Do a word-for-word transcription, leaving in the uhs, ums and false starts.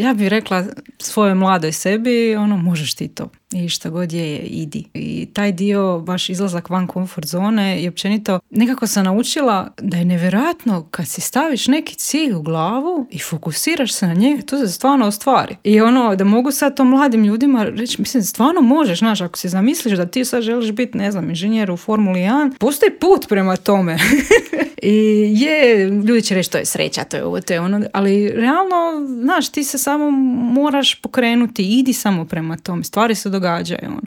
Ja bih rekla svojoj mladoj sebi, ono, možeš ti to. I šta god je, idi. I taj dio, baš izlazak van komfort zone i općenito, nekako sam naučila da je nevjerojatno kad si staviš neki cilj u glavu i fokusiraš se na njega, to se stvarno ostvari. I ono, da mogu sad to mladim ljudima reći, mislim, stvarno možeš, znaš, ako si zamisliš da ti sad želiš biti, ne znam, inženjer u Formuli jedan, postoji put prema tome. I je, ljudi će reći, to je sreća, to je ovo, to je ono, ali realno, znaš, ti se samo moraš pokrenuti, idi samo prema tome, stvari se događaju. On.